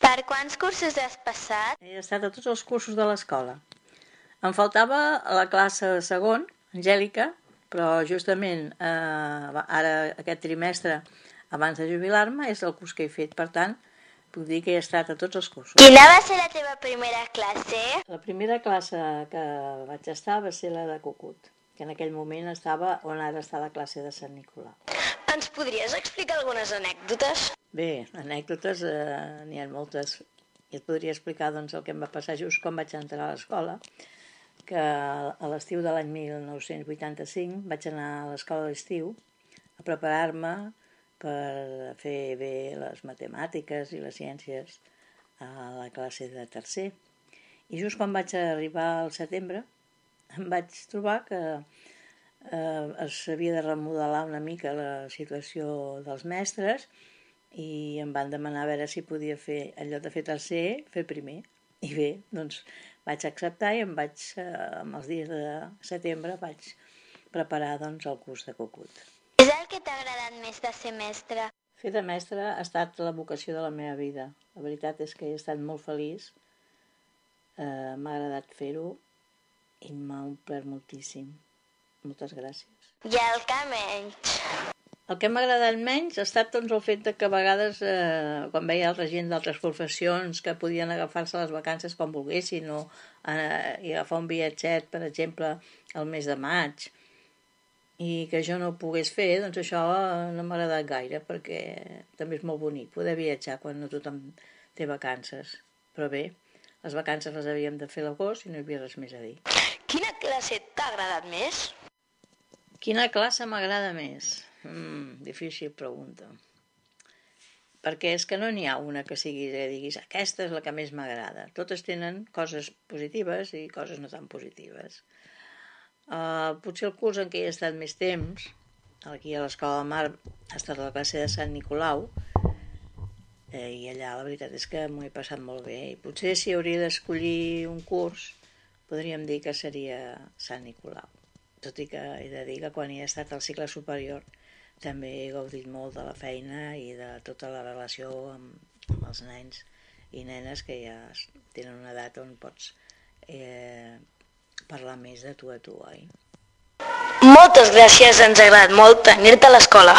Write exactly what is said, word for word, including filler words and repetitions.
Per quants cursos has passat? He estat a tots els cursos de l'escola. Em faltava la classe segon, Angèlica, però justament eh, ara aquest trimestre, abans de jubilar-me, és el curs que he fet. Per tant, puc dir que he estat a tots els cursos. Quina va ser la teva primera classe? La primera classe que vaig estar va ser la de Cucut, que en aquell moment estava on ara està la classe de Sant Nicolau. Ens podries explicar algunes anècdotes? Bé, anècdotes eh, n'hi ha moltes. I et podria explicar doncs, el que em va passar just quan vaig entrar a l'escola, que a l'estiu de l'any mil nou-cents vuitanta-cinc vaig anar a l'escola d'estiu a preparar-me per fer bé les matemàtiques i les ciències a la classe de tercer. I just quan vaig arribar al setembre em vaig trobar que eh, s'havia de remodelar una mica la situació dels mestres i em van demanar a veure si podia fer, en lloc de fer tercer, fer primer. I bé, doncs vaig acceptar i em vaig, eh, amb els dies de setembre, vaig preparar doncs, el curs de Cucut. És el que t'ha agradat més de ser mestre? Fer de mestre ha estat la vocació de la meva vida. La veritat és que he estat molt feliç, eh, m'ha agradat fer-ho i m'ha omplert moltíssim. Moltes gràcies. I el que menys? El que m'ha agradat menys ha estat doncs, el fet de que a vegades, eh, quan veia altra gent d'altres professions que podien agafar-se les vacances quan volguessin o eh, i agafar un viatget, per exemple, al mes de maig, i que jo no ho pogués fer, doncs això no m'ha agradat gaire, perquè també és molt bonic poder viatjar quan no tothom té vacances. Però bé, les vacances les havíem de fer a l'agost i no hi havia res més a dir. Quina classe t'ha agradat més? Quina classe m'agrada més? Mm, difícil pregunta. Perquè és que no n'hi ha una que sigui que diguis aquesta és la que més m'agrada. Totes tenen coses positives i coses no tan positives. Uh, potser el curs en què he estat més temps, aquí a l'Escola de Mar, ha estat la classe de Sant Nicolau, eh, i allà la veritat és que m'ho he passat molt bé. I potser si hauria d'escollir un curs, podríem dir que seria Sant Nicolau. Tot i que he de dir que quan hi he estat al cicle superior també he gaudit molt de la feina i de tota la relació amb, amb els nens i nenes que ja tenen una edat on pots eh, parlar més de tu a tu, oi? Moltes gràcies, ens ha agradat molt tenir-te a l'escola.